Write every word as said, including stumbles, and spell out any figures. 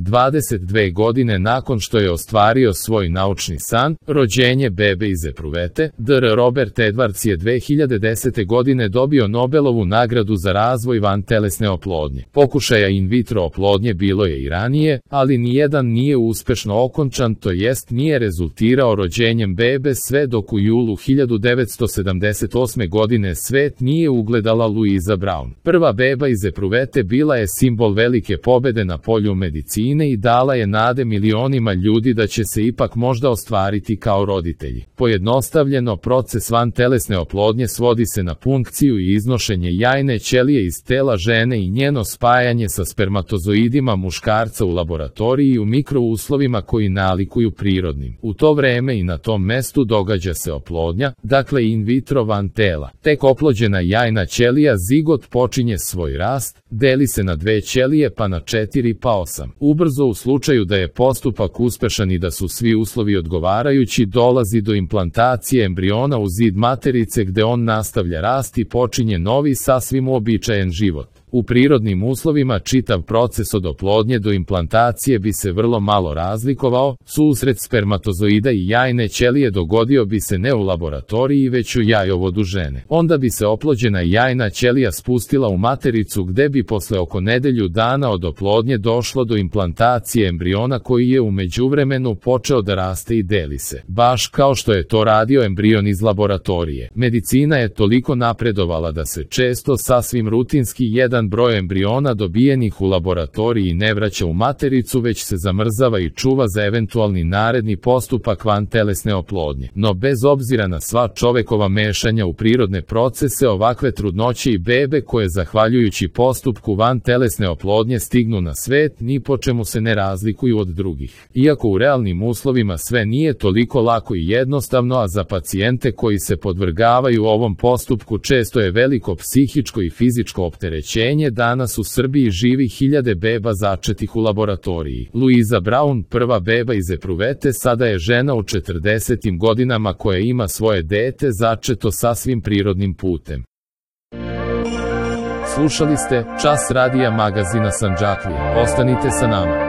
dvadeset dve godine nakon što je ostvario svoj naučni san, rođenje bebe iz epruvete, dr Robert Edwards je dve hiljade desete godine dobio Nobelovu nagradu za razvoj vantelesne oplodnje. Pokušaja in vitro oplodnje bilo je i ranije, ali nijedan nije uspešno okončan, to jest nije rezultirao rođenjem bebe sve dok u julu hiljadu devetsto sedamdeset osme godine svet nije ugledala Louisa Brown. Prva beba iz epruvete bila je simbol velike pobede na polju medicine i dala je nade milionima ljudi da će se ipak možda ostvariti kao roditelji. Pojednostavljeno, proces vantelesne oplodnje svodi se na punkciju i iznošenje jajne ćelije iz tela žene i njeno spajanje sa spermatozoidima muškarca u laboratoriji u mikrouslovima koji nalikuju prirodnim. U to vreme i na tom mestu događa se oplodnja, dakle in vitro van tela. Tek oplođena jajna ćelija zigot počinje svoj rast, deli se na dve ćelije pa na četiri pa osam. Ubrzo u slučaju da je postupak uspešan i da su svi uslovi odgovarajući dolazi do implantacije embriona u zid materice gde on nastavlja rast i počinje novi sasvim uobičajen život. U prirodnim uslovima čitav proces od oplodnje do implantacije bi se vrlo malo razlikovao, susret spermatozoida i jajne ćelije dogodio bi se ne u laboratoriji već u jajovodu žene. Onda bi se oplođena jajna ćelija spustila u matericu gde bi posle oko nedelju dana od oplodnje došlo do implantacije embriona koji je u međuvremenu počeo da raste i deli se. Baš kao što je to radio embrion iz laboratorije. Medicina je toliko napredovala da se često sasvim rutinski jedan broj embriona dobijenih u laboratoriji ne vraća u matericu već se zamrzava i čuva za eventualni naredni postupak vantelesne oplodnje. No bez obzira na sva čovekova mešanja u prirodne procese, ovakve trudnoće i bebe koje zahvaljujući postupku vantelesne oplodnje stignu na svet ni po čemu se ne razlikuju od drugih. Iako u realnim uslovima sve nije toliko lako i jednostavno, a za pacijente koji se podvrgavaju ovom postupku često je veliko psihičko i fizičko opterećenje, danas u Srbiji živi hiljade beba začetih u laboratoriji. Louisa Brown, prva beba iz epruvete, sada je žena u četrdesetim godinama koja ima svoje dete začeto sasvim prirodnim putem. Slušali ste Čas radija magazina Sandžaklija. Ostanite sa nama.